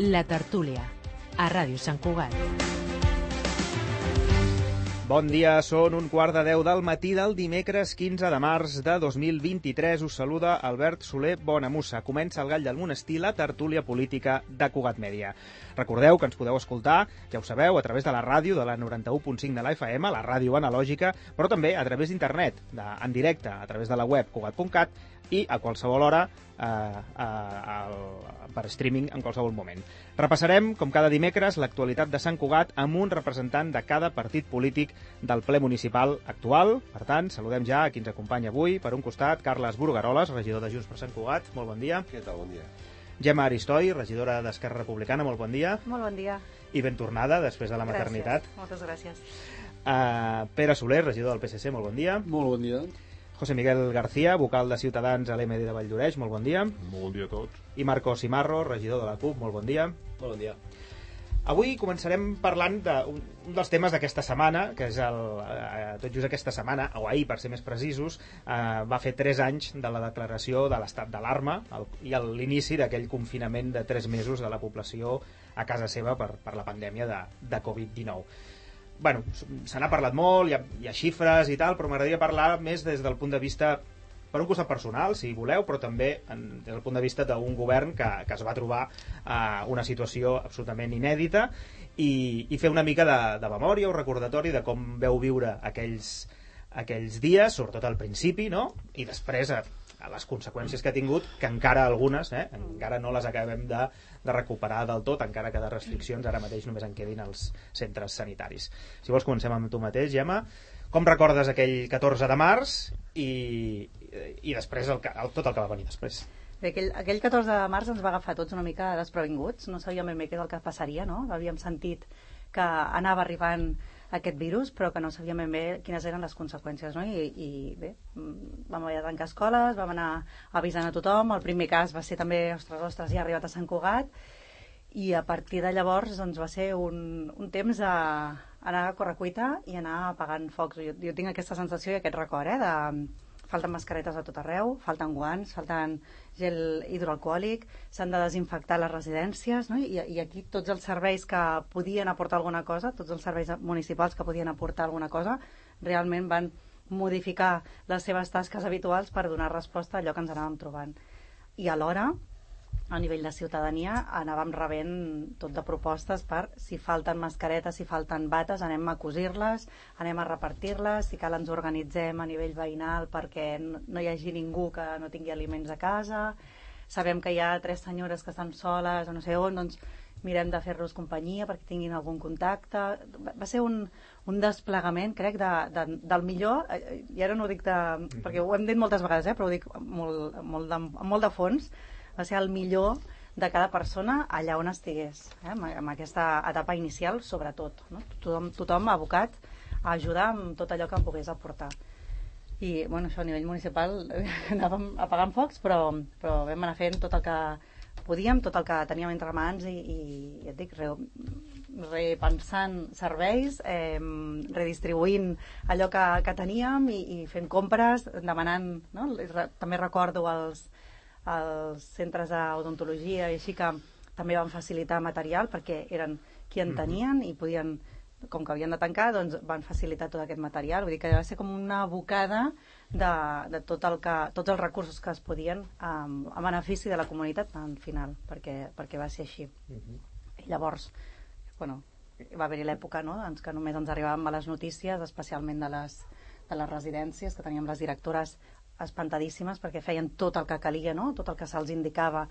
La Tertúlia, a Ràdio Sant Cugat. Bon dia, són 9:45 del matí del dimecres 15 de març de 2023. Us saluda Albert Soler Bonamussa. Comença el Gall del Monestir, la tertúlia política de Cugat Mèdia. Recordeu que ens podeu escoltar, ja ho sabeu, a través de la ràdio de la 91.5 de la FM, la ràdio analògica, però també a través d'internet, en directe, a través de la web cugat.cat i a qualsevol hora per streaming en qualsevol moment. Repassarem, com cada dimecres, l'actualitat de Sant Cugat amb un representant de cada partit polític del ple municipal actual. Per tant, saludem ja a qui ens acompanya avui. Per un costat, Carles Burgaroles, regidor de Junts per Sant Cugat. Molt bon dia. Què tal? Bon dia. Gemma Aristoi, regidora d'Esquerra Republicana. Molt bon dia. Molt bon dia. I ben tornada, després de la maternitat. Moltes gràcies. Pere Soler, regidor del PSC. Molt bon dia. Molt bon dia. José Miguel García, vocal de Ciutadans a l'MD de Valldoreix, molt bon dia. Molt bon dia a tots. I Marcos Cimarro, regidor de la CUP, molt bon dia. Molt bon dia. Avui començarem parlant d'un dels temes d'aquesta setmana, que és tot just aquesta setmana, o ahir per ser més precisos, va fer 3 anys de la declaració de l'estat d'alarma i l'inici d'aquell confinament de 3 mesos de la població a casa seva per la pandèmia de Covid-19. Bueno, se n'ha parlat molt, hi ha xifres i tal, però m'agradaria parlar més des del punt de vista, per un costat personal, si voleu, però també des del punt de vista d'un govern que es va trobar una situació absolutament inèdita i fer una mica de memòria o recordatori de com veu viure aquells dies, sobretot al principi, no? I després a les conseqüències que ha tingut, que encara algunes, encara no les acabem de recuperar del tot, encara que de restriccions ara mateix només en quedin als centres sanitaris. Si vols comencem amb tu mateix, Gemma. Com recordes aquell 14 de març i després tot el que va venir després? Bé, aquell 14 de març ens va agafar tots una mica desprevinguts, no sabíem ben bé què és el que passaria, no? Havíem sentit que anava arribant aquest virus, però que no sabíem ben bé quines eren les conseqüències, no? I bé, vam haver de tancar escoles, vam anar avisant a tothom. El primer cas va ser també, ostres, ja ha arribat a Sant Cugat, i a partir de llavors doncs, va ser un temps d'anar a correcuita i anar apagant focs. Jo tinc aquesta sensació i aquest record, falten mascaretes a tot arreu, falten guants, falten gel hidroalcohòlic, s'han de desinfectar les residències, no? I aquí tots els serveis que podien aportar alguna cosa, tots els serveis municipals que podien aportar alguna cosa, realment van modificar les seves tasques habituals per donar resposta a allò que ens anàvem trobant. I alhora, a nivell de ciutadania, anàvem rebent tot de propostes per si falten mascaretes, si falten bates, anem a cosir-les, anem a repartir-les, si cal ens organitzem a nivell veïnal perquè no hi hagi ningú que no tingui aliments a casa, sabem que hi ha 3 senyores que estan soles o no sé on, doncs mirem de fer-los companyia perquè tinguin algun contacte. Va ser un desplegament, crec, del millor, i ara no ho dic perquè ho hem dit moltes vegades, però ho dic molt de fons, va ser el millor de cada persona allà on estigués, amb aquesta etapa inicial sobretot, no? Tothom abocat a ajudar amb tot allò que em pogués aportar. I bueno, això a nivell municipal anàvem apagant focs, però vam anar fent tot el que podíem, tot el que teníem entre mans i ja et dic, repensant serveis, redistribuint allò que teníem i fent compres, demanant, no? També recordo els centres d'odontologia i així que també van facilitar material perquè eren qui en tenien i podien, com que havien de tancar, doncs van facilitar tot aquest material. Vull dir que va ser com una bocada de tots els recursos que es podien a benefici de la comunitat al final, perquè va ser així. I llavors, bueno, va haver-hi l'època, no?, doncs, que només ens arribaven males notícies, especialment de les residències, que teníem les directores espantadíssimes perquè feien tot el que calia, no?, tot el que se'ls indicava,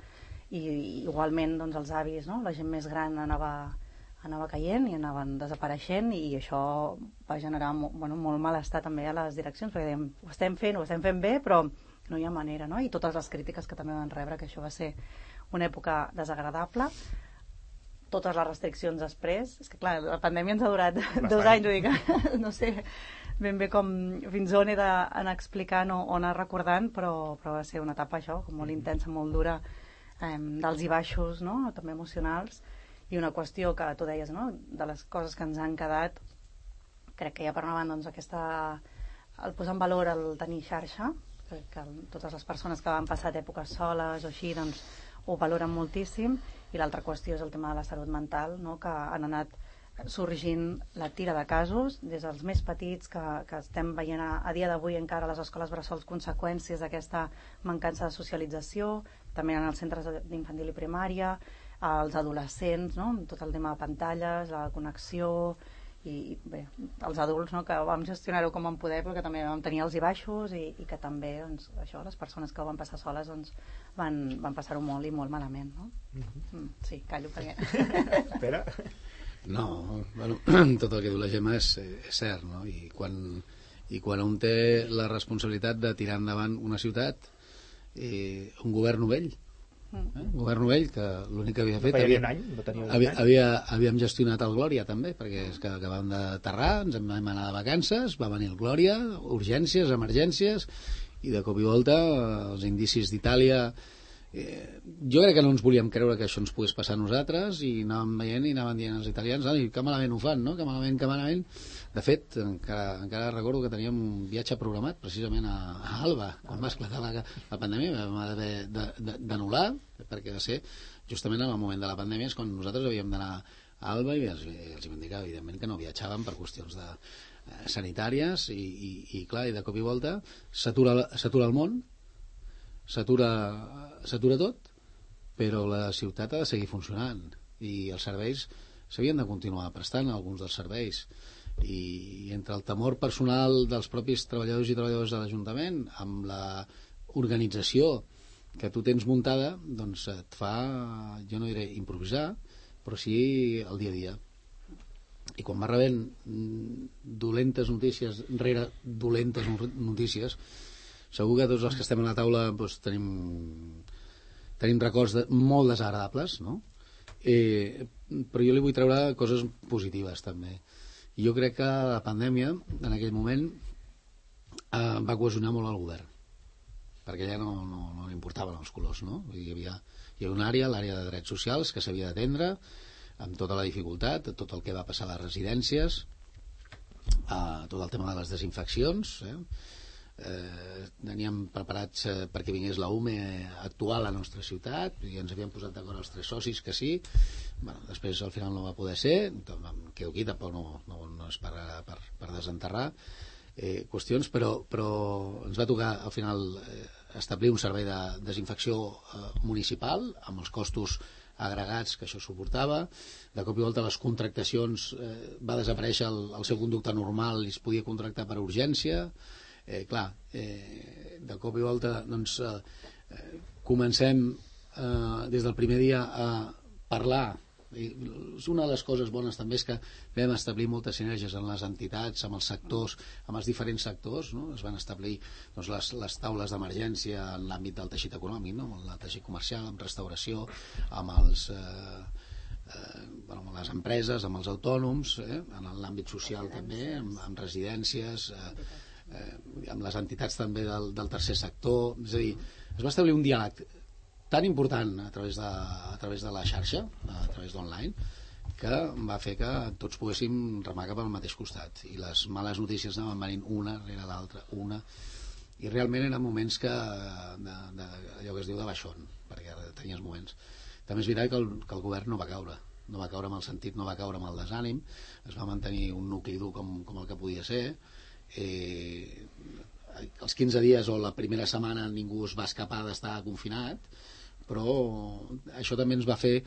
i igualment doncs, els avis, no?, la gent més gran anava caient i anaven desapareixent, i això va generar molt malestar també a les direccions, perquè dèiem, ho estem fent bé, però no hi ha manera, no? I totes les crítiques que també van rebre, que això va ser una època desagradable. Totes les restriccions després, és que clar, la pandèmia ens ha durat 2 anys, ho dic, no sé ben bé fins on he d'anar explicant o anar recordant, però va ser una etapa això, com molt intensa, molt dura, d'alts i baixos, no?, també emocionals, i una qüestió que tu deies, no?, de les coses que ens han quedat, crec que ja per una banda, doncs el posar en valor el tenir xarxa, que totes les persones que van passar èpoques soles o així, doncs ho valoren moltíssim, i l'altra qüestió és el tema de la salut mental, no? Que han anat sorgint la tira de casos, des dels més petits que estem veient a dia d'avui encara a les escoles bressols conseqüències d'aquesta mancança de socialització, també en els centres d'infantil i primària, als adolescents, no? Tot el tema de pantalles, la connexió, i bé, els adults, no? Que vam gestionar-ho com vam poder, però que també vam tenir alts i baixos, i que també doncs, això, les persones que ho van passar soles doncs, van passar-ho molt i molt malament, no? Sí, callo perquè... Espera. No, bueno, tot el que diu la Gemma és cert, no? I quan un té la responsabilitat de tirar endavant una ciutat, un govern novell, un govern novell que l'únic que havia fet... Havíem gestionat el Glòria també, perquè és que acabàvem d'aterrar, ens vam anar de vacances, va venir el Glòria, urgències, emergències, i de cop i volta els indicis d'Itàlia... jo crec que no ens volíem creure que això ens pogués passar a nosaltres, i anàvem veient i anàvem dient als italians, que malament ho fan, no? Que malament. De fet, encara recordo que teníem un viatge programat precisament a Alba, quan va esclatar la pandèmia. Vam haver d'anul·lar, perquè va ser justament en el moment de la pandèmia, és quan nosaltres havíem d'anar a Alba, i els vam dir que evidentment que no viatjàvem per qüestions sanitàries, i clar, i de cop i volta s'atura el món, s'atura tot, però la ciutat ha de seguir funcionant, i els serveis s'havien de continuar prestant, alguns dels serveis, i entre el temor personal dels propis treballadors i treballadores de l'Ajuntament amb la organització que tu tens muntada, doncs et fa, jo no diré improvisar, però sí el dia a dia. I quan va rebent dolentes notícies rere dolentes notícies, segur que tots els que estem a la taula doncs, tenim records molt desagradables, no? Però jo li vull treure coses positives també. I jo crec que la pandèmia en aquell moment va cohesionar molt el govern, perquè ja no li importaven els colors, no? Hi havia una àrea, l'àrea de drets socials, que s'havia d'atendre amb tota la dificultat, tot el que va passar a les residències, tot el tema de les desinfeccions, teníem preparats perquè vingués la UME a actuar a la nostra ciutat, i ens havíem posat d'acord els 3 socis que sí. Bueno, després al final no va poder ser, quedo aquí, tampoc no és per desenterrar qüestions, però ens va tocar al final establir un servei de desinfecció municipal amb els costos agregats que això suportava. De cop i volta les contractacions va desaparèixer el seu conducte normal i es podia contractar per urgència. De cop i volta doncs, comencem des del primer dia a parlar. Una de les coses bones també és que vam establir moltes sinergies en les entitats, amb els sectors, amb els diferents sectors, no? Es van establir doncs, les taules d'emergència en l'àmbit del teixit econòmic, no? Amb el teixit comercial, amb restauració, amb amb les empreses, amb els autònoms, en l'àmbit social també, amb residències, amb les entitats també del tercer sector. És a dir, es va establir un diàleg tan important a través de la xarxa, a través d'online, que va fer que tots poguéssim remar cap al mateix costat, i les males notícies anaven venint una rere l'altra, i realment eren moments allò que es diu de baixón, perquè tenies moments. També és veritat que el govern no va caure amb el sentit, no va caure amb el desànim, es va mantenir un nucli dur com el que podia ser. Els 15 dies o la primera setmana ningú es va escapar d'estar confinat, però això també ens va fer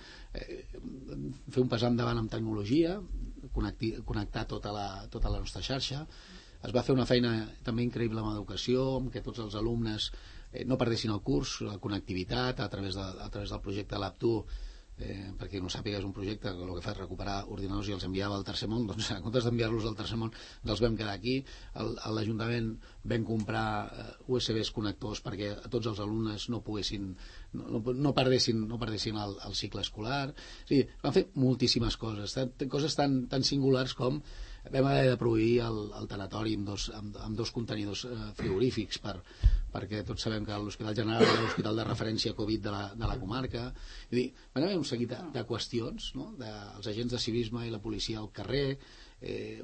un pas endavant amb tecnologia, connectar tota la nostra xarxa. Es va fer una feina també increïble amb educació, amb que tots els alumnes no perdessin el curs, la connectivitat a través del projecte Lab2, perquè no sàpiga, és un projecte que el que fa és recuperar ordinadors i els enviava al tercer món. Doncs en comptes d'enviar-los al tercer món els vam quedar aquí. A l'Ajuntament vam comprar USBs connectors perquè tots els alumnes no perdessin el cicle escolar. O sigui, van fer moltíssimes coses tan singulars com vam haver de prohibir el tanatori amb dos contenidors frigorífics, perquè tots sabem que l'Hospital General és l'hospital de referència Covid de la comarca. És dir, van haver un seguit de qüestions, no? Els agents de civisme i la policia al carrer,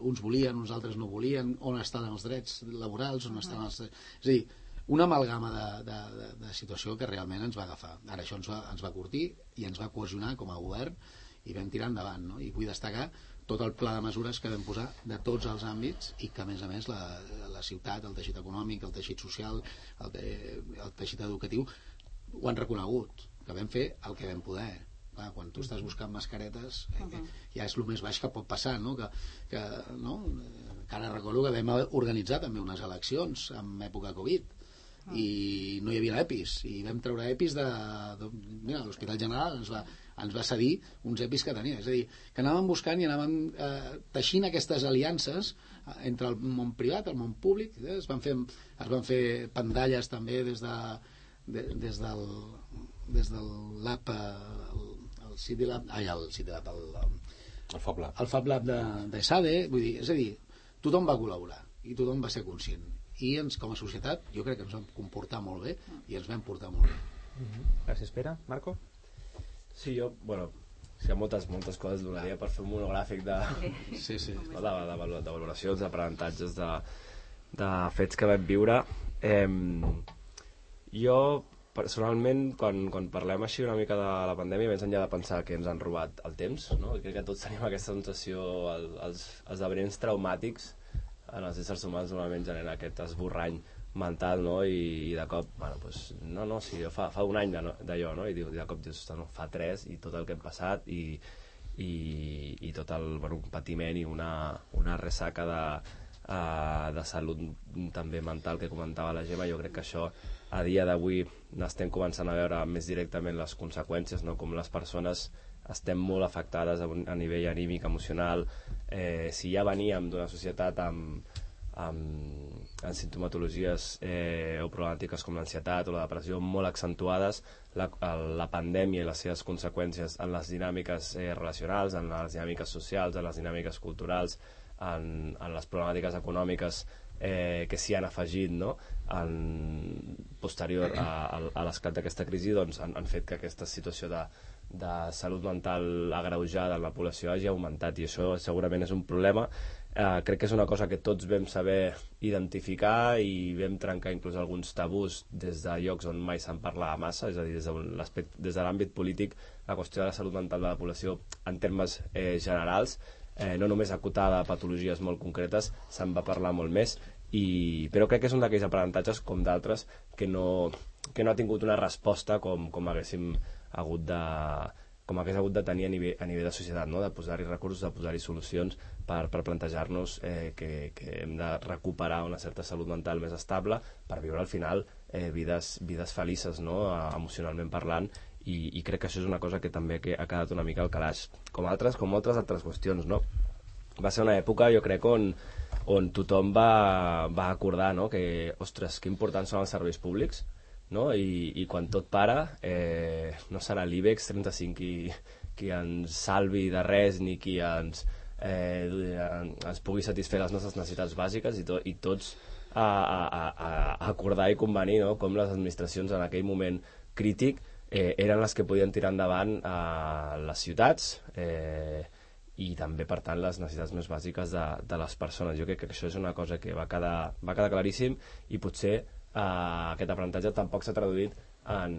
uns volien, uns altres no volien, on estan els drets laborals, on estan els... És a dir, una amalgama de situació que realment ens va agafar. Ara això ens va curtir i ens va cohesionar com a govern i vam tirar endavant, no? I vull destacar tot el pla de mesures que vam posar de tots els àmbits i que a més la ciutat, el teixit econòmic, el teixit social, el teixit educatiu ho han reconegut, que vam fer el que vam poder. Clar, quan tu estàs buscant mascaretes ja és el més baix que pot passar, no? No? Que ara recordo que vam organitzar també unes eleccions en època Covid i no hi havia EPIs i vam treure EPIs mira, l'Hospital General ens va cedir uns EPIs que tenia, és a dir, que anàvem buscant i anàvem teixint aquestes aliances entre el món privat, el món públic, es van fer pantalles també des del lab el City Lab el Fab Lab de SADE, vull dir, és a dir, tothom va col·laborar i tothom va ser conscient i com a societat jo crec que ens vam comportar molt bé i ens vam portar molt bé. Gràcies, Pere. Marco? Sí, jo, hi ha moltes coses donaria per fer un monogràfic de valoracions, d'aprenentatges, de fets que vam viure. Jo, personalment, quan parlem així una mica de la pandèmia, més enllà de pensar que ens han robat el temps, no? Crec que tots tenim aquesta sensació, els esdeveniments traumàtics en els éssers humans normalment generen aquest esborrany mental, no? I de cop, sí, fa un any d'allò, no? I de cop dius, fa 3 i tot el que hem passat i tot el patiment i una ressaca de salut també mental que comentava la Gemma. Jo crec que això a dia d'avui n'estem començant a veure més directament les conseqüències, no? Com les persones estem molt afectades a nivell anímic, emocional. Si ja veníem d'una societat amb sintomatologies o problemàtiques com l'ansietat o la depressió molt accentuades, la pandèmia i les seves conseqüències en les dinàmiques relacionals, en les dinàmiques socials, en les dinàmiques culturals, en les problemàtiques econòmiques que s'hi han afegit, no? Posterior a l'esclat d'aquesta crisi, doncs, han fet que aquesta situació de salut mental agreujada en la població hagi augmentat, i això segurament és un problema. Crec que és una cosa que tots vam saber identificar i vam trencar inclús alguns tabús des de llocs on mai se'n parlava massa, és a dir, des de l'àmbit polític la qüestió de la salut mental de la població en termes generals, no només acotada a patologies molt concretes, se'n va parlar molt més, però crec que és un d'aquells aprenentatges com d'altres que no ha tingut una resposta com haguéssim hagut de tenir a nivell de societat, no? De posar-hi recursos, de posar-hi solucions per plantejar-nos que hem de recuperar una certa salut mental més estable per viure al final vides felices, no? Emocionalment parlant, i crec que això és una cosa que també ha quedat una mica al calaix, com moltes altres qüestions, no? Va ser una època, jo crec, on tothom va acordar, no? Que, ostres, que importants són els serveis públics, no? I quan tot para, no serà l'IBEX 35 qui ens salvi de res ni qui ens pugui satisfer les nostres necessitats bàsiques, i tots a acordar i convenir, no? Com les administracions en aquell moment crític eren les que podien tirar endavant les ciutats i també, per tant, les necessitats més bàsiques de les persones. Jo crec que això és una cosa que va quedar claríssim, i potser aquest aprenentatge tampoc s'ha traduït en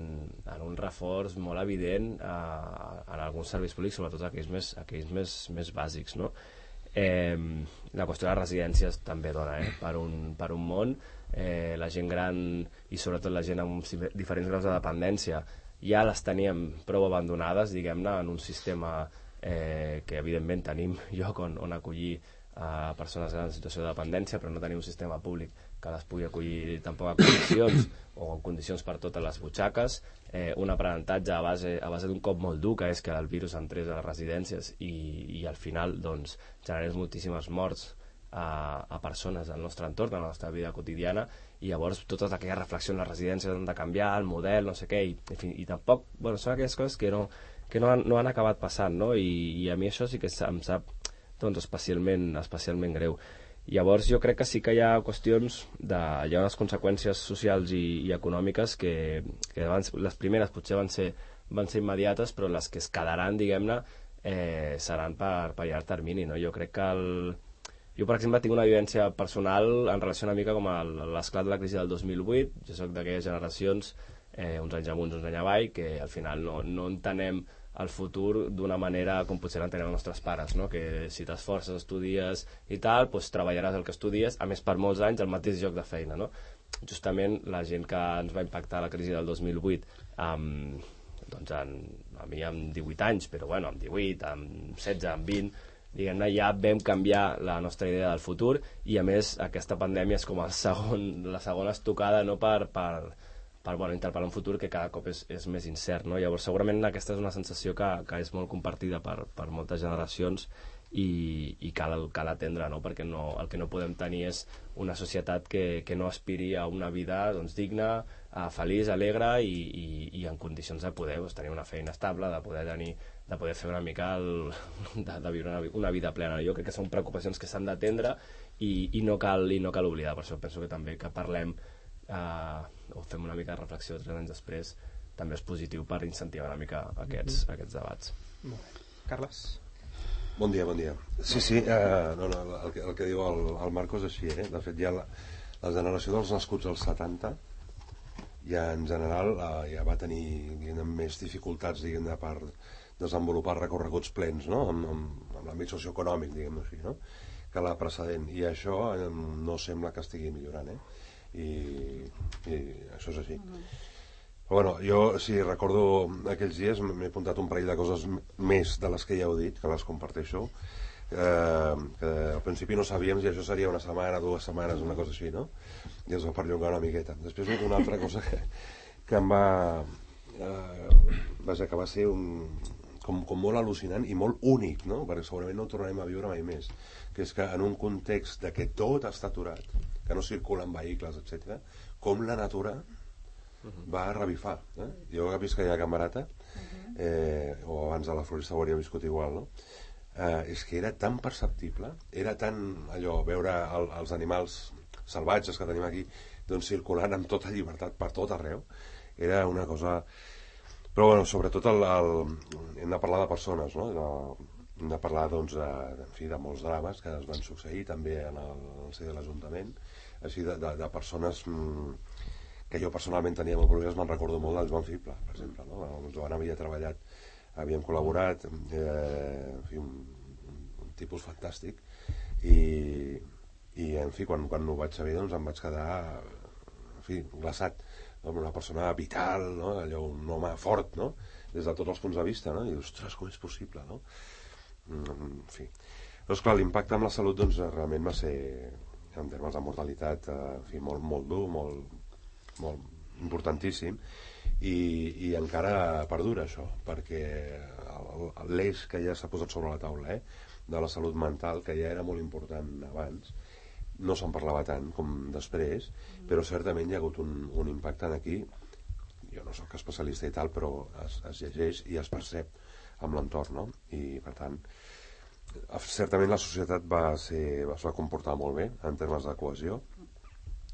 un reforç molt evident en alguns serveis públics, sobretot aquells més bàsics, no? La qüestió de les residències també dona per un món. La gent gran i sobretot la gent amb diferents graus de dependència ja les teníem prou abandonades, diguem-ne, en un sistema que evidentment tenim lloc on acollir persones grans en situació de dependència, però no tenim un sistema públic que les pugui acollir tampoc a condicions o en condicions per totes les butxaques. Un aprenentatge a base d'un cop molt dur, que és que el virus entrés a les residències i al final doncs generés moltíssimes morts a persones del nostre entorn, a la nostra vida quotidiana, i llavors totes aquelles reflexions, les residències han de canviar, el model, no sé què, i tampoc, són aquelles coses que no han acabat passant, no? I a mi això sí que em sap especialment greu. Llavors jo crec que sí que hi ha qüestions hi ha unes conseqüències socials i econòmiques que les primeres potser van ser immediates, però les que es quedaran, diguem-ne, seran per llarg termini, no? Jo crec que Jo, per exemple, tinc una vivència personal en relació una mica com a l'esclat de la crisi del 2008. Jo soc d'aquelles generacions, uns anys amunt, uns anys avall, que al final no entenem el futur d'una manera com potser l'entenem els nostres pares, no? Que si t'esforces, estudies i tal, doncs treballaràs el que estudies, a més per molts anys el mateix lloc de feina, no? Justament la gent que ens va impactar la crisi del 2008, doncs a mi amb 18 anys, però bueno, amb 18, amb 16, amb 20, diguem-ne, ja vam canviar la nostra idea del futur, i a més aquesta pandèmia és com la segona estocada, no, per interpel·lar un futur que cada cop és més incert, no? Llavors segurament aquesta és una sensació que és molt compartida per moltes generacions i cal atendre, no? Perquè el que no podem tenir és una societat que no aspiri a una vida, doncs, digna, feliç, alegre i en condicions de poder tenir una feina estable, de poder fer una mica de viure una vida plena. Jo crec que són preocupacions que s'han d'atendre i no cal oblidar. Per això penso que també que parlem o fem una mica de reflexió 3 anys després també és positiu per incentivar una mica aquests debats. Molt bé. Carles? Bon dia. Sí, el que diu el Marco és així, De fet, ja la generació dels nascuts als 70 ja en general ja va tenir més dificultats, diguem-ne, per desenvolupar recorreguts plens, no? Amb l'àmbit socioeconòmic, diguem-ne així, no? Que la precedent, i això no sembla que estigui millorant, i això és així. Però bueno, jo si recordo aquells dies m'he apuntat un parell de coses més de les que ja heu dit, que les comparteixo, que al principi no sabíem si això seria una setmana, 2 setmanes, una cosa així, no? I es va perllongar una miqueta. Després una altra cosa que em va que va ser com molt al·lucinant i molt únic, no? Perquè segurament no ho tornarem a viure mai més, que és que en un context de que tot està aturat, que no circulen vehicles, etc., com la natura va revifar. Jo he vist que hi ha Camarata, o abans a la Florista ho hauria viscut igual, no? És que era tan perceptible, era tan allò, veure els animals salvatges que tenim aquí, doncs circulant amb tota llibertat per tot arreu, era una cosa... Però bueno, sobretot hem de parlar de persones, no? Hem de parlar, doncs, de molts drames que es van succeir també en el si de l'Ajuntament, així de persones que jo personalment tenia molt problemes. Me'n recordo molt del Joan Fibla, per exemple, no? El Joan havia treballat, havíem col·laborat, en fi, un tipus fantàstic, i en fi, quan ho vaig saber, doncs em vaig quedar, en fi, glaçat, no? Una persona vital, no? Allò, un home fort, no? Des de tots els punts de vista, no? I ostres, com és possible, no? En fi. Doncs clar, l'impacte amb la salut, doncs, realment va ser, en termes de mortalitat, en fi, molt dur, molt importantíssim, i encara perdura això, perquè l'eix que ja s'ha posat sobre la taula, de la salut mental, que ja era molt important abans, no se'n parlava tant com després, però certament hi ha hagut un impacte aquí. Jo no soc especialista i tal, però es llegeix i es percep amb l'entorn, no? I per tant, certament la societat es va comportar molt bé en termes de cohesió,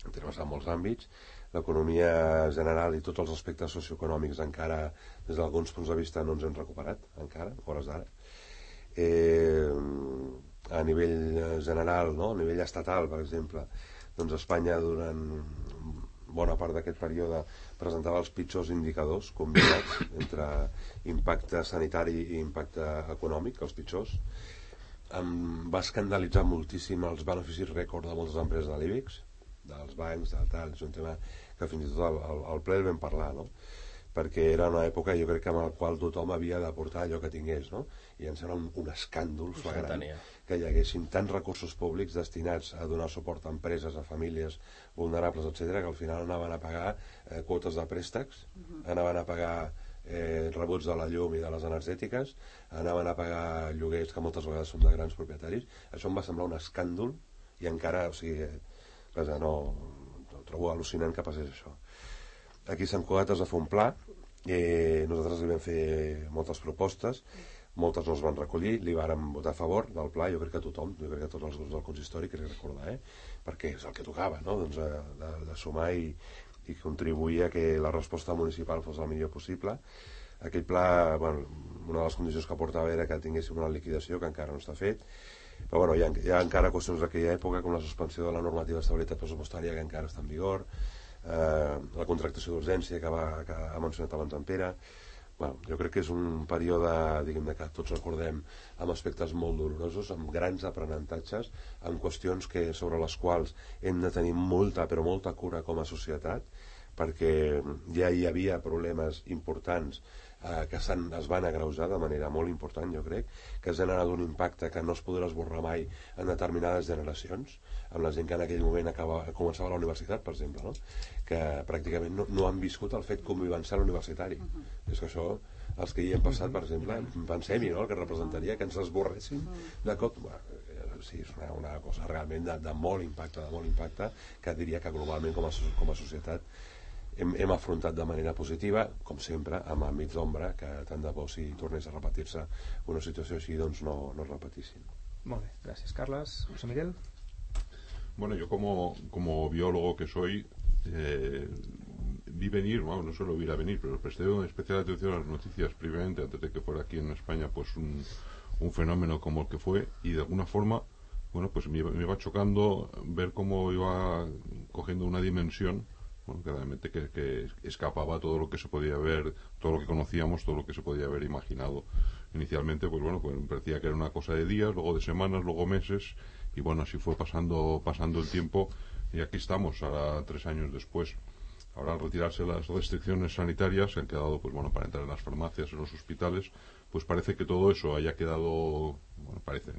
en termes de molts àmbits. L'economia general i tots els aspectes socioeconòmics encara, des d'alguns punts de vista, no ens hem recuperat encara, a hores d'ara. A nivell general, no? A nivell estatal, per exemple, doncs Espanya durant bona part d'aquest període presentava els pitjors indicadors combinats entre impacte sanitari i impacte econòmic, els pitjors. Va escandalitzar moltíssim els beneficis rècord de moltes empreses de l'IBEX, dels bancs, del tal. És un tema que fins i tot al ple el vam parlar, no? Perquè era una època, jo crec, en la qual tothom havia d'aportar allò que tingués, no? I em sembla un escàndol flagrant que hi haguessin tants recursos públics destinats a donar suport a empreses, a famílies vulnerables, etc., que al final anaven a pagar quotes de préstecs, anaven a pagar rebuts de la llum i de les energètiques, anaven a pagar lloguers que moltes vegades són de grans propietaris. Això em va semblar un escàndol i encara, o sigui, no trobo al·lucinant que passés això. Aquí a Sant Cugat es va fer un pla, nosaltres li vam fer moltes propostes, moltes no es van recollir, li vàrem votar a favor del pla, jo crec que tothom, jo crec que tots els grups del consistori, crec recordar, perquè és el que tocava, no? Doncs de sumar i contribuir a que la resposta municipal fos el millor possible. Aquell pla, bueno, una de les condicions que portava era que tinguéssim una liquidació, que encara no està fet, Però bueno, hi ha encara qüestions d'aquella època, com la suspensió de la normativa d'estabilitat pressupostària, que encara està en vigor, la contractació d'urgència que ha mencionat abans en Pere. Bueno, jo crec que és un període, diguem-ne, que tots recordem amb aspectes molt dolorosos, amb grans aprenentatges, amb qüestions sobre les quals hem de tenir molta, però molta cura com a societat, perquè ja hi havia problemes importants que es van agreujar de manera molt important, jo crec, que ha generat un impacte que no es podrà esborrar mai en determinades generacions, amb la gent que en aquell moment començava la universitat, per exemple, no? Que pràcticament no han viscut el fet convivencial universitari. És que això, els que hi hem passat, per exemple, pensem-hi, no?, el que representaria que ens esborressin de cop. Sí, és una cosa realment de molt impacte, que diria que globalment com a societat hem afrontat de manera positiva, com sempre, amb àmbits d'ombra, que tant de bo si tornés a repetir-se una situació així, doncs no es repetissin. Molt bé, gràcies, Carles. José Miguel. Bueno, yo como biólogo que soy, vi venir, bueno, no solo vi a venir, pero presté una especial atención a las noticias previamente, antes de que fuera aquí en España pues un fenómeno como el que fue, y de alguna forma, bueno, pues me iba chocando ver cómo iba cogiendo una dimensión, bueno, claramente que escapaba todo lo que se podía ver, todo lo que conocíamos, todo lo que se podía haber imaginado. Inicialmente, pues bueno, pues parecía que era una cosa de días, luego de semanas, luego meses, y bueno, así fue pasando el tiempo, y aquí estamos, ahora 3 años después. Ahora, al retirarse las restricciones sanitarias, se han quedado, pues bueno, para entrar en las farmacias, en los hospitales, pues parece que todo eso haya quedado, bueno, parece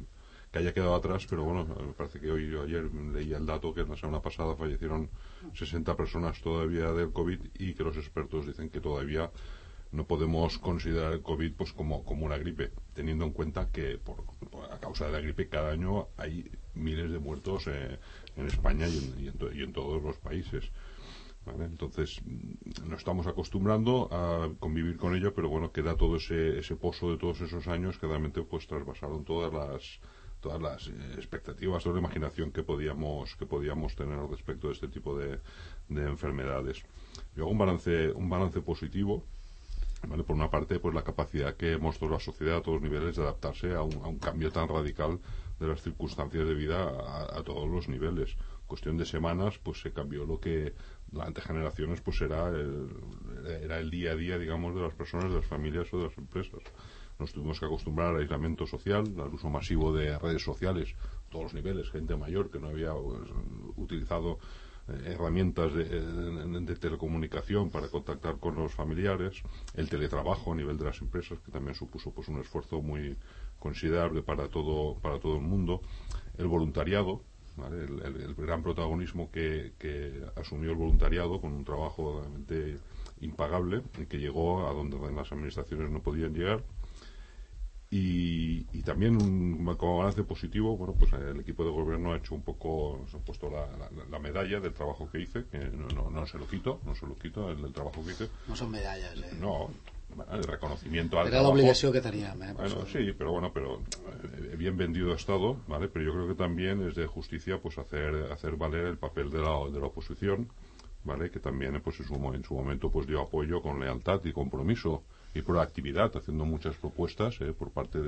que haya quedado atrás, pero bueno, me parece que ayer leía el dato que la semana pasada fallecieron 60 personas todavía del COVID, y que los expertos dicen que todavía no podemos considerar el COVID pues como una gripe, teniendo en cuenta que a causa de la gripe cada año hay miles de muertos en España y en todos los países. ¿Vale? Entonces nos estamos acostumbrando a convivir con ello, pero bueno, queda todo ese pozo de todos esos años que realmente pues trasvasaron todas las expectativas, toda la imaginación que podíamos tener respecto de este tipo de enfermedades. Yo hago un balance positivo. ¿Vale? Por una parte, pues la capacidad que mostró la sociedad a todos los niveles de adaptarse a un cambio tan radical de las circunstancias de vida a todos los niveles. Cuestión de semanas, pues se cambió lo que durante generaciones pues era el día a día, digamos, de las personas, de las familias o de las empresas. Nos tuvimos que acostumbrar al aislamiento social, al uso masivo de redes sociales, a todos los niveles, gente mayor que no había utilizado herramientas de telecomunicación para contactar con los familiares, el teletrabajo a nivel de las empresas, que también supuso pues un esfuerzo muy considerable para todo el mundo, el voluntariado, ¿vale? El gran protagonismo que asumió el voluntariado con un trabajo realmente impagable y que llegó a donde las administraciones no podían llegar. Y también como balance positivo, bueno, pues el equipo de gobierno ha hecho un poco, se ha puesto la medalla del trabajo que hice, que no se lo quito, el trabajo que hice. No son medallas, No, el reconocimiento al era trabajo. la obligación que tenían, Bueno, sí, pero bien vendido ha estado, ¿vale? Pero yo creo que también es de justicia pues hacer valer el papel de la oposición, ¿vale? Que también pues en su momento pues dio apoyo con lealtad y compromiso y proactividad, haciendo muchas propuestas por parte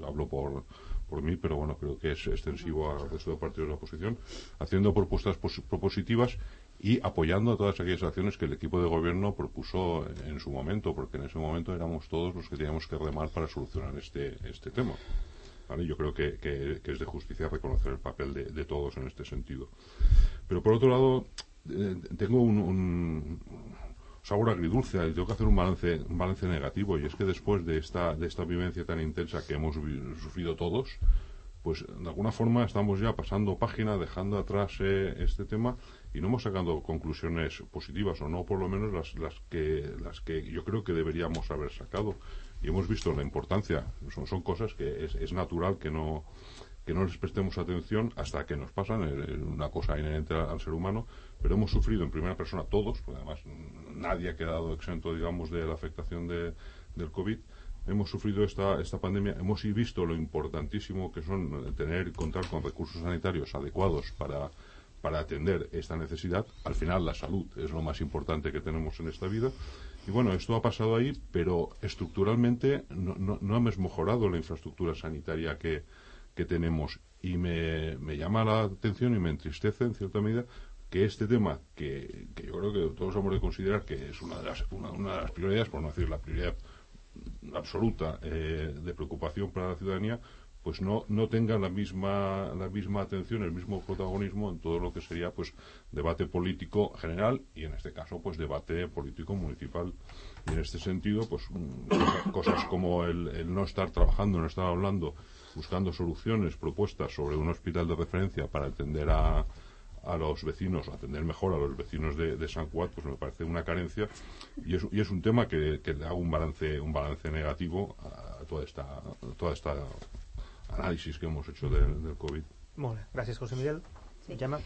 hablo por mí, pero bueno, creo que es extensivo al resto de partidos de la oposición, haciendo propuestas propositivas y apoyando a todas aquellas acciones que el equipo de gobierno propuso en su momento, porque en ese momento éramos todos los que teníamos que remar para solucionar este tema. ¿Vale? Yo creo que es de justicia reconocer el papel de todos en este sentido. Pero por otro lado, tengo un sabor agridulce, y tengo que hacer un balance negativo, y es que después de esta vivencia tan intensa que hemos sufrido todos, pues de alguna forma estamos ya pasando página, dejando atrás este tema, y no hemos sacado conclusiones positivas, o no por lo menos las que yo creo que deberíamos haber sacado, y hemos visto la importancia. Son cosas que es natural que no les prestemos atención hasta que nos pasan, una cosa inherente al ser humano, pero hemos sufrido en primera persona todos, porque además nadie ha quedado exento, digamos, de la afectación del COVID. Hemos sufrido esta pandemia, hemos visto lo importantísimo que son contar con recursos sanitarios adecuados para atender esta necesidad. Al final la salud es lo más importante que tenemos en esta vida. Y bueno, esto ha pasado ahí, pero estructuralmente no hemos mejorado la infraestructura sanitaria que que tenemos. Y me llama la atención y me entristece en cierta medida que este tema, que yo creo que todos hemos de considerar que es una de las prioridades, por no decir la prioridad absoluta de preocupación para la ciudadanía, pues no tenga la misma atención, el mismo protagonismo en todo lo que sería pues debate político general y en este caso pues debate político municipal. Y en este sentido pues cosas como el no estar trabajando, no estar hablando, buscando soluciones, propuestas sobre un hospital de referencia para atender a los vecinos, atender mejor a los vecinos de Sant Cugat, pues me parece una carencia y es un tema que le hago un balance negativo a toda esta análisis que hemos hecho del Covid. Molt bé, gràcies José Miguel. Sí. Gemma?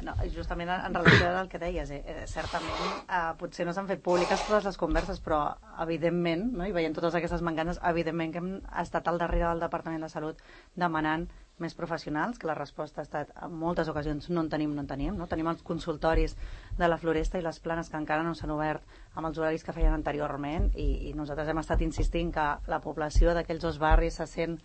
No, justament en relació al que deies, certament potser no s'han fet públiques totes les converses, però evidentment, no, i veient totes aquestes mancances, evidentment que hem estat al darrere del Departament de Salut demanant més professionals, que la resposta ha estat en moltes ocasions no en tenim. No? Tenim els consultoris de la Floresta i les planes que encara no s'han obert amb els horaris que feien anteriorment i nosaltres hem estat insistint que la població d'aquells dos barris se sent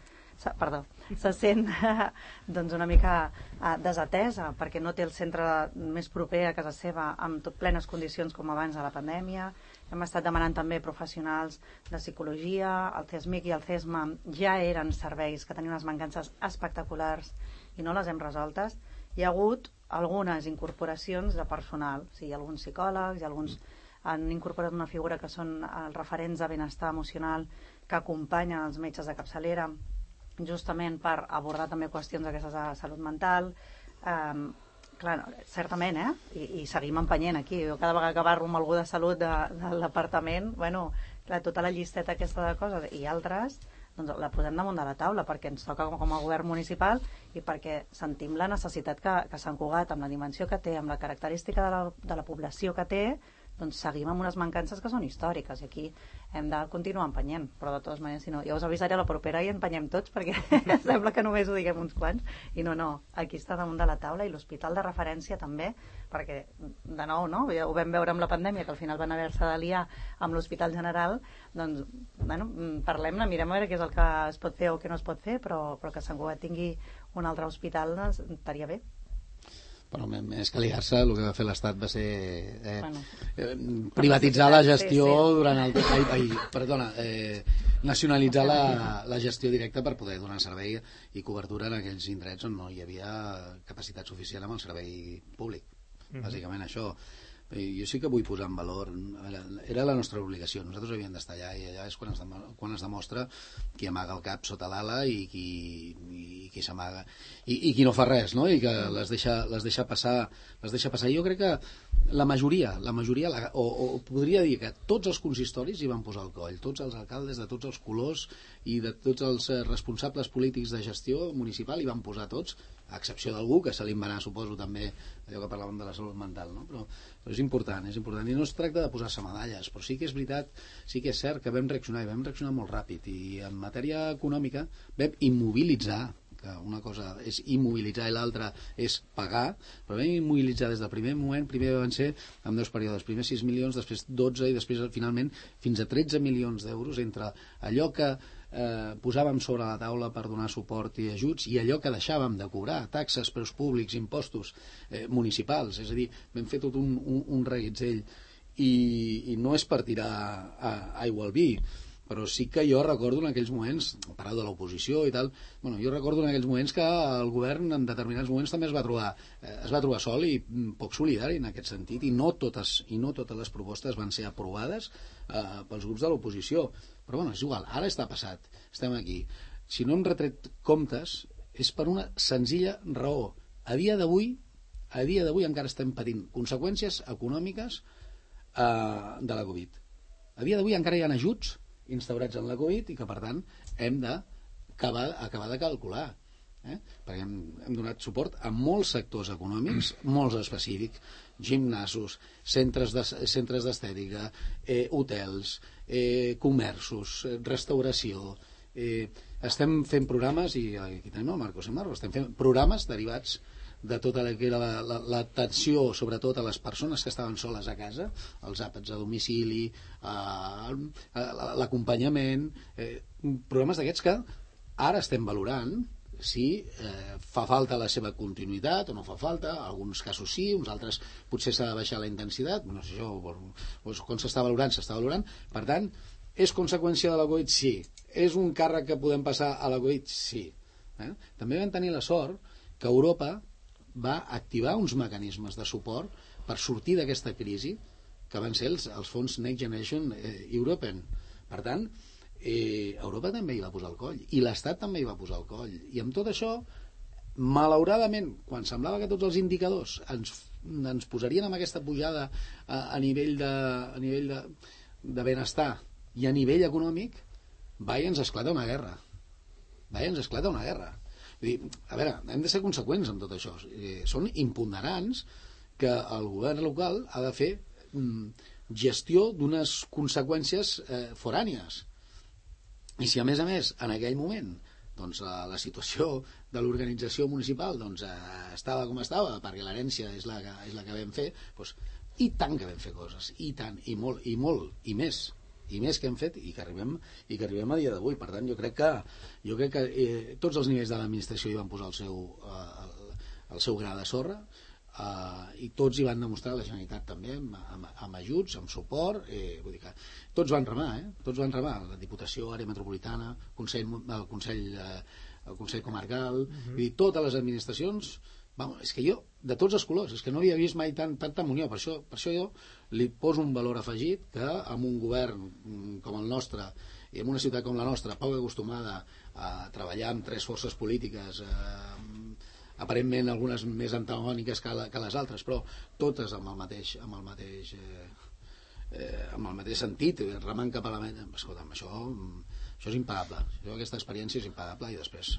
doncs una mica desatesa perquè no té el centre més proper a casa seva amb plenes condicions com abans de la pandèmia. Hem estat demanant també professionals de psicologia, el CESMIC i el CESMA ja eren serveis que tenien unes mancances espectaculars i no les hem resoltes. Hi ha hagut algunes incorporacions de personal, sí, alguns psicòlegs i alguns han incorporat una figura que són els referents de benestar emocional que acompanyen els metges de capçalera justament per abordar també qüestions d'aquestes de salut mental. Clar, certament, I seguim empenyent aquí. Jo cada vegada que parlo amb algú de salut del departament, clar, tota la llisteta aquesta de coses i altres, doncs la posem damunt de la taula perquè ens toca com a govern municipal i perquè sentim la necessitat que Sant Cugat, amb la dimensió que té, amb la característica de la població que té, doncs seguim amb unes mancances que són històriques i aquí hem de continuar empenyent, però de totes maneres, si no, ja us avisaré a la propera i empenyem tots perquè sembla que només ho diguem uns quants i no, aquí està damunt de la taula i l'hospital de referència també, perquè de nou, ja ho vam veure amb la pandèmia que al final van haver-se d'aliar amb l'Hospital General, doncs parlem-ne, mirem a veure què és el que es pot fer o què no es pot fer, però que Sant Cugat tingui un altre hospital doncs, estaria bé. Bueno, més que liar-se, el que va fer l'Estat va ser privatitzar la gestió durant el... nacionalitzar la gestió directa per poder donar servei i cobertura en aquells indrets on no hi havia capacitat suficient amb el servei públic. Bàsicament això. Jo sí que vull posar en valor, era la nostra obligació, nosaltres havíem d'estar allà i allà és quan es demostra qui amaga el cap sota l'ala i qui s'amaga i qui no fa res, no? I que les deixa passar. Jo crec que la majoria o podria dir que tots els consistoris hi van posar el coll, tots els alcaldes de tots els colors i de tots els responsables polítics de gestió municipal hi van posar tots, a excepció d'algú que se li va anar, suposo, també allò que parlàvem de la salut mental, no? Però és important i no es tracta de posar-se medalles, però sí que és veritat, sí que és cert que vam reaccionar i vam reaccionar molt ràpid i en matèria econòmica vam immobilitzar, que una cosa és immobilitzar i l'altra és pagar, però vam immobilitzar des del primer moment, primer van ser en 2 períodes, primer 6 milions, després 12 i després finalment fins a 13 milions d'euros entre allò que posàvem sobre la taula per donar suport i ajuts i allò que deixàvem de cobrar, taxes, preus públics, impostos municipals, és a dir, vam fer tot un reguitzell i no és per tirar aigua al vi, però sí que jo recordo en aquells moments, parlant de l'oposició i tal, jo recordo en aquells moments que el govern en determinats moments també es va trobar sol i poc solidari en aquest sentit i no totes les propostes van ser aprovades pels grups de l'oposició, però és igual, ara està passat, estem aquí. Si no hem retret comptes és per una senzilla raó. A dia d'avui encara estem patint conseqüències econòmiques de la Covid. A dia d'avui encara hi ha ajuts instaurats en la Covid i que per tant hem d'acabar de calcular, perquè hem donat suport a molts sectors econòmics, molts específics, gimnasos, centres d'estètica, hotels, comerços, restauració. Estem fent programes, i aquí tenim el Marcos Emarro, estem fent programes derivats de tota la que era l'atenció sobretot a les persones que estaven soles a casa, els àpats a domicili, l'acompanyament, programes d'aquests que ara estem valorant si fa falta la seva continuïtat o no fa falta, en alguns casos sí, uns altres potser s'ha de baixar la intensitat, no sé jo, doncs, com s'està valorant, per tant, és conseqüència de la Covid? Sí. És un càrrec que podem passar a la Covid? Sí. També vam tenir la sort que Europa va activar uns mecanismes de suport per sortir d'aquesta crisi, que van ser els fons Next Generation European. Per tant, Europa també hi va posar el coll, i l'Estat també hi va posar el coll, i amb tot això, malauradament, quan semblava que tots els indicadors ens posarien amb aquesta pujada a nivell de benestar i a nivell econòmic, ens esclata una guerra. Vull dir, a veure, hem de ser conseqüents amb tot això. Són imponderants que el govern local ha de fer gestió d'unes conseqüències forànies. I si a més en aquell moment doncs, la situació de l'organització municipal doncs, estava com estava, perquè l'herència és la que vam fer, doncs, i tant que vam fer coses, i tant, i molt, i més que hem fet i que arribem a dia d'avui. Per tant, jo crec que tots els nivells de l'administració hi van posar el seu gra de sorra, i tots hi van demostrar, la Generalitat també, amb ajuts, amb suport, vull dir que tots van remar, la Diputació, Àrea Metropolitana, el Consell Comarcal, vull dir, totes les administracions. És que jo, de tots els colors, és que no havia vist mai tanta munió. Per això jo li poso un valor afegit que amb un govern com el nostre i en una ciutat com la nostra, poc acostumada a treballar amb tres forces polítiques, aparentment algunes més antagòniques que les altres, però totes amb el mateix sentit, remant cap a la meta. Escolta'm, això és impagable. Aquesta experiència és impagable, i després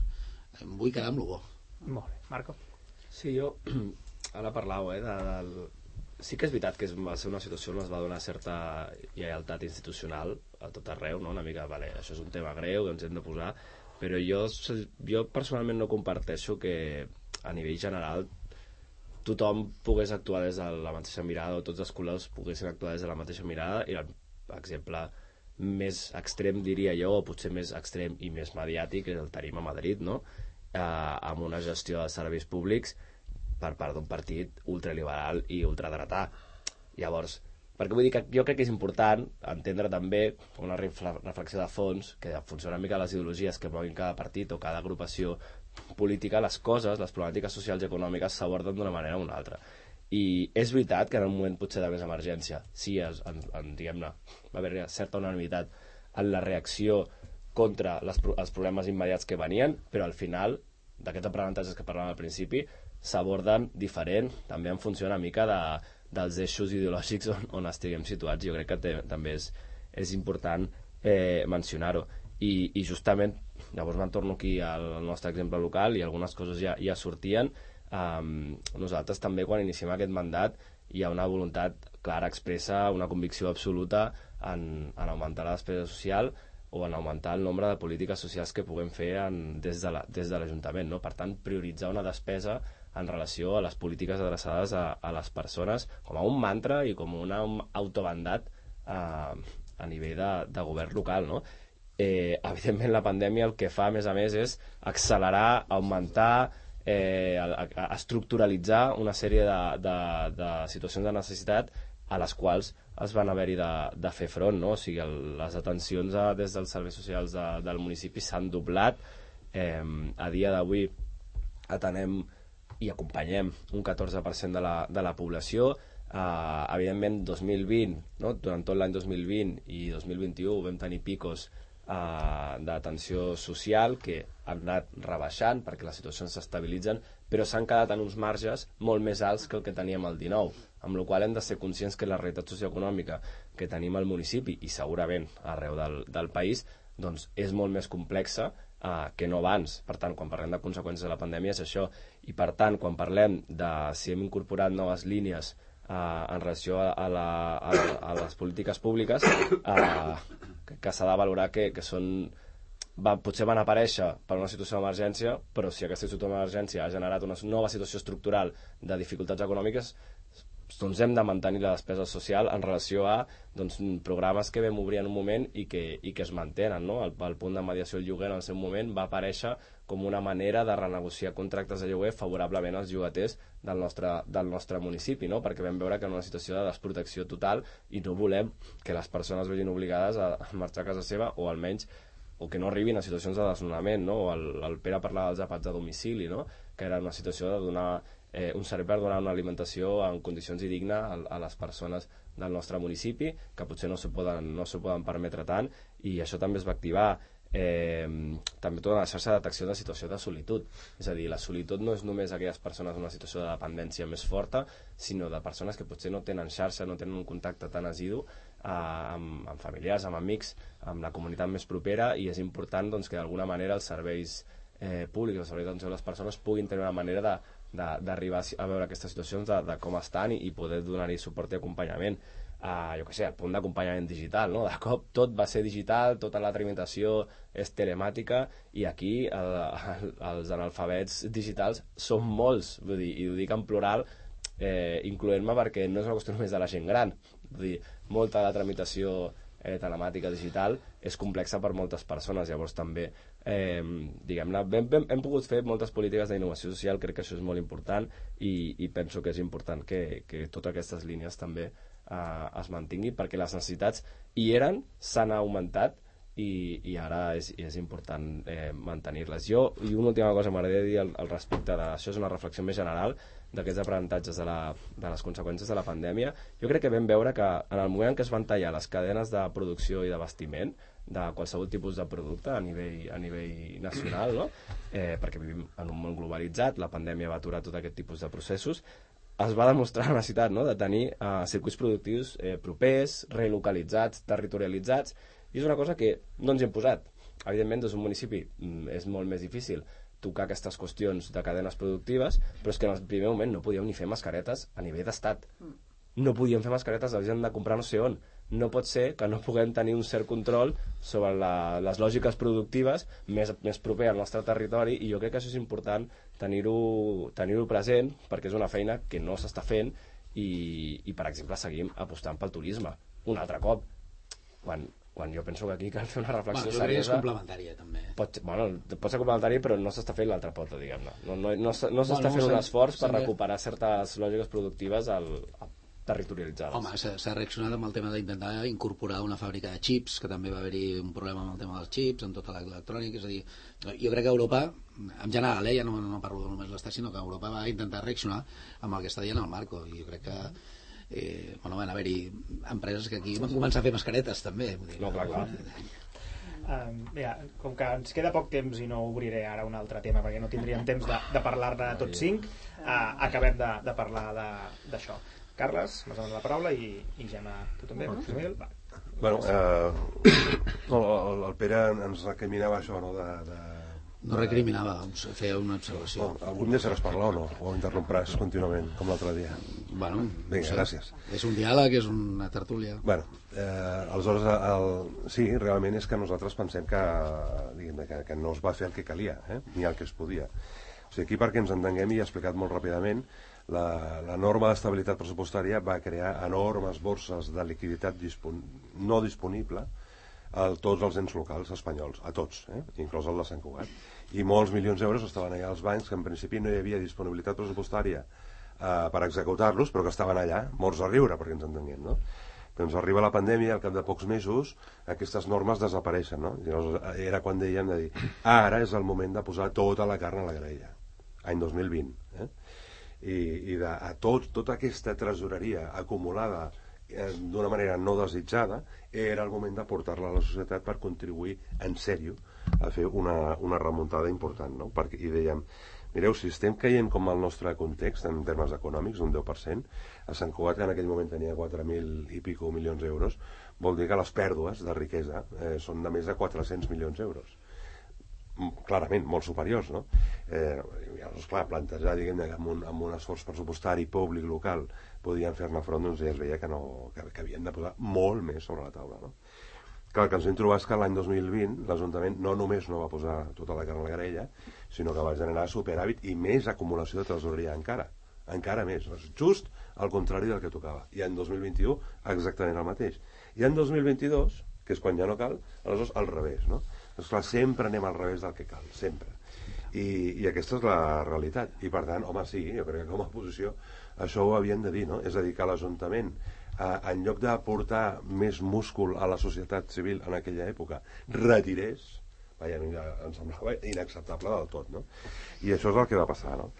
em vull quedar amb lo bo. Molt bé. Marco? Sí, jo ara parlau sí que és veritat que va ser una situació on es va donar certa lleialtat institucional a tot arreu, no? Una mica, vale, això és un tema greu, ens hem de posar, però jo personalment no comparteixo que a nivell general tothom pogués actuar des de la mateixa mirada, o tots els colors poguessin actuar des de la mateixa mirada, i l'exemple més extrem, diria jo, o potser més extrem i més mediàtic, el tenim a Madrid, no? Amb una gestió de serveis públics per part d'un partit ultraliberal i ultradretà. Llavors, perquè vull dir que jo crec que és important entendre també una reflexió de fons, que en funció una mica de les ideologies que moguin cada partit o cada agrupació política, les problemàtiques socials i econòmiques s'aborden d'una manera o una altra. I és veritat que en un moment potser de més emergència diguem-ne, va haver certa unanimitat en la reacció contra els problemes immediats que venien, però al final d'aquests aprenentatges que parlàvem al principi s'aborden diferent, també en funció una mica dels eixos ideològics on estiguem situats. Jo crec que també és important mencionar-ho. I justament, llavors me'n torno aquí al nostre exemple local, i algunes coses ja sortien. Nosaltres també, quan iniciem aquest mandat, hi ha una voluntat clara, expressa, una convicció absoluta en augmentar la despesa social o en augmentar el nombre de polítiques socials que puguem fer des de l'Ajuntament, no? Per tant, prioritzar una despesa en relació a les polítiques adreçades a les persones com a un mantra i com un autobandat a nivell de govern local, no? Evidentment, la pandèmia el que fa, a més, és accelerar, augmentar, estructuralitzar una sèrie de situacions de necessitat a les quals es van haver-hi de fer front, no? O sigui, les atencions des dels serveis socials del municipi s'han doblat. A dia d'avui atenem i acompanyem un 14% de la població. Evidentment, 2020, no? Durant tot l'any 2020 i 2021 vam tenir picos d'atenció social que han anat rebaixant perquè les situacions s'estabilitzen, però s'han quedat en uns marges molt més alts que el que teníem el 19, amb la qual cosa hem de ser conscients que la realitat socioeconòmica que tenim al municipi i segurament arreu del país doncs és molt més complexa que no abans. Per tant, quan parlem de conseqüències de la pandèmia és això, i per tant, quan parlem de si hem incorporat noves línies en relació a les polítiques públiques, que s'ha de valorar que potser van aparèixer per una situació d'emergència, però si aquesta situació d'emergència ha generat una nova situació estructural de dificultats econòmiques, doncs hem de mantenir la despesa social en relació a doncs, programes que vam obrir en un moment i que es mantenen, no? El punt de mediació del lloguer en el seu moment va aparèixer com una manera de renegociar contractes de lloguer favorablement als llogaters del nostre municipi, no? Perquè vam veure que en una situació de desprotecció total i no volem que les persones vegin obligades a marxar a casa seva o almenys o que no arribin a situacions de desnonament, no? O el Pere parlava dels àpats a domicili, no? Que era una situació de donar un servei per donar una alimentació en condicions i digna a les persones del nostre municipi, que potser no s'ho poden permetre tant, i això també es va activar també tota la xarxa de detecció de situació de solitud. És a dir, la solitud no és només aquelles persones en una situació de dependència més forta, sinó de persones que potser no tenen xarxa, no tenen un contacte tan assidu amb familiars, amb amics, amb la comunitat més propera, i és important doncs, que d'alguna manera els serveis públics, els serveis d'atenció a les persones puguin tenir una manera d'arribar a veure aquestes situacions, de com estan i poder donar-hi suport i acompanyament. Jo què sé, el punt d'acompanyament digital, no? De cop tot va ser digital, tota la tramitació és telemàtica, i aquí els analfabets digitals són molts, vull dir, i ho dic en plural, incloent-me perquè no és una qüestió només de la gent gran, vull dir, molta de la tramitació telemàtica digital és complexa per moltes persones. Llavors també diguem-ne, hem pogut fer moltes polítiques d'innovació social, crec que això és molt important, i penso que és important que totes aquestes línies també es mantinguin, perquè les necessitats hi eren, s'han augmentat, i ara és important mantenir-les. I una última cosa m'agradaria dir al respecte d'això, és una reflexió més general d'aquests aprenentatges de les conseqüències de la pandèmia. Jo crec que vam veure que en el moment en què es van tallar les cadenes de producció i d'abastiment de qualsevol tipus de producte a nivell nacional, no? Perquè vivim en un món globalitzat, la pandèmia va aturar tot aquest tipus de processos, es va demostrar la necessitat, no?, de tenir circuits productius propers, relocalitzats, territorialitzats, i és una cosa que no ens hi hem posat. Evidentment, des d'un municipi és molt més difícil tocar aquestes qüestions de cadenes productives, però és que en el primer moment no podíem ni fer mascaretes a nivell d'estat. No podíem fer mascaretes, les hem de comprar no sé on. No pot ser que no puguem tenir un cert control sobre les lògiques productives més proper al nostre territori, i jo crec que això és important tenir-ho present, perquè és una feina que no s'està fent, i per exemple seguim apostant pel turisme un altre cop, quan jo penso que aquí cal fer una reflexió seriosa. És complementària també. Pot ser complementari, però no s'està fent l'altra pota, diguem-ne. No s'està fent un esforç per recuperar certes lògiques productives territorialitzades. Home, s'ha reaccionat amb el tema d'intentar incorporar una fàbrica de xips, que també va haver-hi un problema amb el tema dels xips, amb tota l'electrònica. És a dir, jo crec que Europa, en general, ja no parlo només de l'Estat, sinó que Europa va intentar reaccionar amb el que està dient el Marco, i jo crec que van haver-hi empreses que aquí van començar a fer mascaretes també. No, clar. Mira, com que ens queda poc temps i no obriré ara un altre tema perquè no tindríem temps de parlar-ne tots 5, acabem de parlar d'això. Carles, m'has donat la paraula, i Gemma, tu també? Va. Bueno, el Pere ens recriminava això, no? No recriminava, feia una observació. Algun dia seràs parlar o no? O interrompràs contínuament, com l'altre dia? Bueno, vinga, gràcies. És un diàleg, és una tertúlia. Bueno, aleshores, sí, realment és que nosaltres pensem que no es va fer el que calia, ni el que es podia. O sigui, aquí, perquè ens entenguem, i he explicat molt ràpidament, la norma d'estabilitat pressupostària va crear enormes borses de liquiditat no disponible a tots els ens locals espanyols, a tots, inclòs el de Sant Cugat, i molts milions d'euros estaven allà als bancs, que en principi no hi havia disponibilitat pressupostària per executar-los, però que estaven allà, morts a riure, perquè ens entenguem, no? Però ens arriba la pandèmia, al cap de pocs mesos aquestes normes desapareixen, no? I llavors era quan dèiem de dir, ara és el moment de posar tota la carn a la graella, any 2020, i tota aquesta tresoreria acumulada d'una manera no desitjada, era el moment de portar-la a la societat per contribuir en sèrio a fer una remuntada important, no? I dèiem, mireu, si estem caient com el nostre context en termes econòmics, un 10%, a Sant Cugat, que en aquell moment tenia 4.000 i pico milions d'euros, vol dir que les pèrdues de riquesa són de més de 400 milions d'euros. Clarament, molt superiors, no? Llavors, clar, plantejar, diguem-ne, amb un esforç pressupostari públic local podien fer-ne front, doncs ja es veia que havien de posar molt més sobre la taula, no? Clar, el que ens vam trobar és que l'any 2020 l'Ajuntament no només no va posar tota la carn a la graella, sinó que va generar superàvit i més acumulació de tresoreria encara encara més, just al contrari del que tocava. I en 2021 exactament el mateix. I en 2022, que és quan ja no cal, aleshores al revés, no? Doncs clar, sempre anem al revés del que cal, sempre. I aquesta és la realitat. I per tant, home, sí, jo crec que com a oposició això ho havien de dir, no? És a dir, que l'Ajuntament, en lloc d'aportar més múscul a la societat civil en aquella època, retirés, em semblava inacceptable del tot, no? I això és el que va passar, no?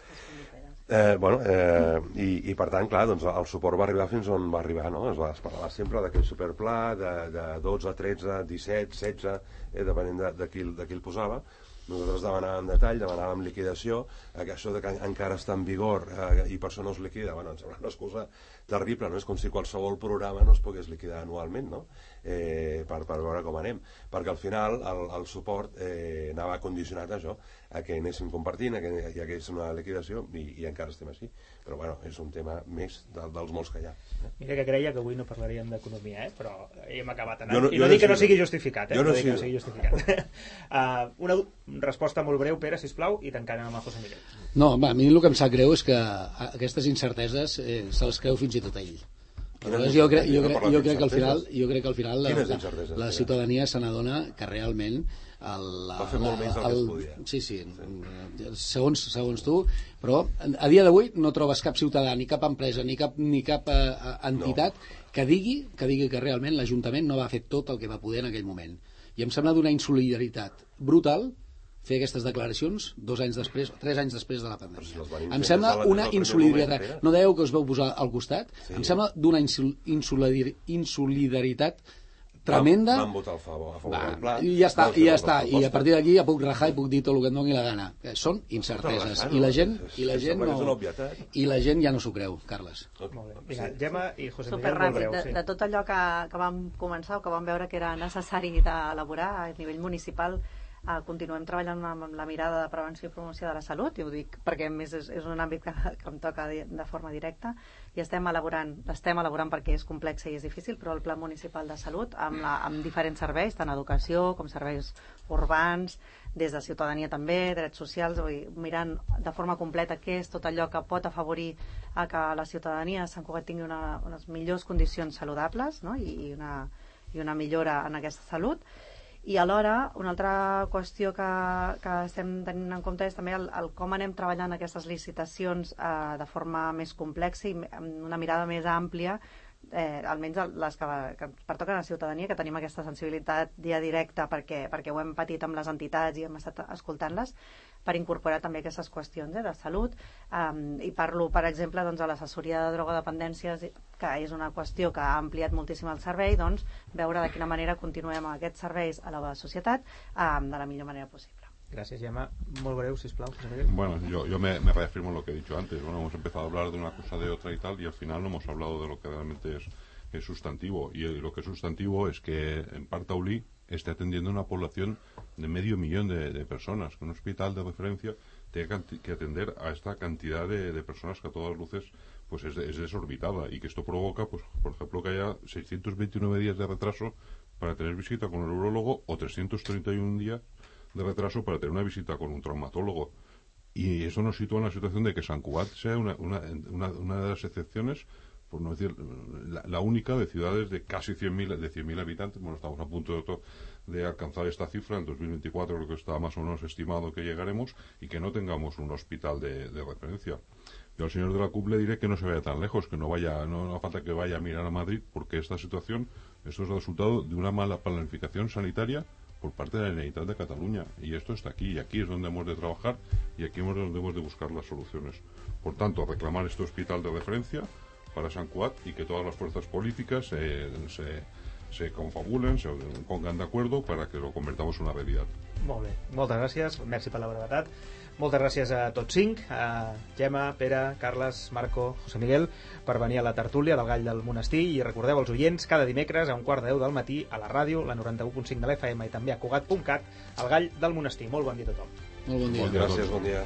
I per tant, clar, doncs el suport va arribar fins on va arribar, no? Es parlava sempre d'aquell superpla de 12, 13, 17, 16, depenent de qui el posava. Nosaltres demanàvem detall, demanàvem liquidació, això de que encara està en vigor i per això no es liquida, bueno, em sembla una excusa terrible, no? És com si qualsevol programa no es pogués liquidar anualment, no? Per veure com anem, perquè al final el suport anava condicionat a això, a que anéssim compartint, a que hi hagués una liquidació i encara estem així, però bueno, és un tema més dels molts que hi ha. Mira que creia que avui no parlaríem d'economia, però hem acabat anant. I no dic que no sigui justificat, no dic que no sigui justificat. Una resposta molt breu, Pere, sisplau, i tancant amb el José Miguel. No, a mi el que em sap greu és que aquestes incerteses se les creu fins i tot ell. Jo crec que al final la ciutadania se n'adona que realment va fer molt menys del que es podia. Sí. Segons tu, però a dia d'avui no trobes cap ciutadà, ni cap empresa, ni cap entitat que digui que realment l'Ajuntament no va fer tot el que va poder en aquell moment. I em sembla d'una insolidaritat brutal fer aquestes declaracions 2 anys després, 3 anys després de la pandèmia. Em sembla una insolidaritat. No dèieu que us veu posar al costat? Em sembla d'una insolidaritat tremenda. Vam votar a favor del pla. I ja està. I a partir d'aquí ja puc rajar i puc dir tot el que em doni la gana. Són incerteses. I la gent ja no s'ho creu, Carles. Molt bé. Vinga, Gemma i José Miguel, superràpid, molt breu. De tot allò que vam començar o que vam veure que era necessari d'elaborar a nivell municipal, continuem treballant amb la mirada de prevenció i promoció de la salut, i ho dic perquè a més és un àmbit que em toca de forma directa, i estem elaborant perquè és complex i és difícil, però el Pla Municipal de Salut amb diferents serveis, tant educació com serveis urbans, des de ciutadania també, drets socials, mirant de forma completa què és tot allò que pot afavorir a que la ciutadania de Sant Cugat tingui unes millors condicions saludables, no? i una millora en aquesta salut. I alhora, una altra qüestió que estem tenint en compte és també el com anem treballant aquestes licitacions de forma més complexa i amb una mirada més àmplia, almenys les que pertoquen a la ciutadania, que tenim aquesta sensibilitat dia directa perquè ho hem patit amb les entitats i hem estat escoltant-les, per incorporar també aquestes qüestions de salut. I parlo, per exemple, de l'assessoria de drogodependències, que és una qüestió que ha ampliat moltíssim el servei, veure de quina manera continuem amb aquests serveis a la societat de la millor manera possible. Gracias, Gemma. Muy breve, sisplau, José Miguel. Bueno, yo me reafirmo en lo que he dicho antes. Bueno, hemos empezado a hablar de una cosa, de otra y tal, y al final no hemos hablado de lo que realmente es sustantivo. Y lo que es sustantivo es que en Partaulí esté atendiendo a una población de 500.000 de personas. Que un hospital de referencia tenga que atender a esta cantidad de personas que a todas luces pues es desorbitada, y que esto provoca, pues por ejemplo, que haya 629 días de retraso para tener visita con el urólogo o 331 días de retraso para tener una visita con un traumatólogo. Y eso nos sitúa en la situación de que Sant Cugat sea una de las excepciones, por no decir la única, de ciudades de casi 100.000 habitantes. Bueno, estamos a punto de alcanzar esta cifra. En 2024 creo que está más o menos estimado que llegaremos, y que no tengamos un hospital de referencia. Yo al señor de la CUP le diré que no se vaya tan lejos, que no hace falta que vaya a mirar a Madrid, porque esta situación, esto es el resultado de una mala planificación sanitaria por parte de la Generalitat de Cataluña, y esto está aquí, y aquí es donde hemos de trabajar, y aquí es donde hemos de buscar las soluciones. Por tanto, reclamar este hospital de referencia para Sant Cugat, y que todas las fuerzas políticas se confabulen, se pongan de acuerdo para que lo convertamos en una realidad. Molt bé, moltes gràcies, merci per la brevetat. Moltes gràcies a tots 5, a Gemma, Pere, Carles, Marco, José Miguel, per venir a la tertúlia del Gall del Monestir. I recordeu als oients, cada dimecres a 1:15 del matí a la ràdio, la 91.5 de l'FM, i també a Cugat.cat, el Gall del Monestir. Molt bon dia a tothom. Molt bon dia. Gràcies, bon dia.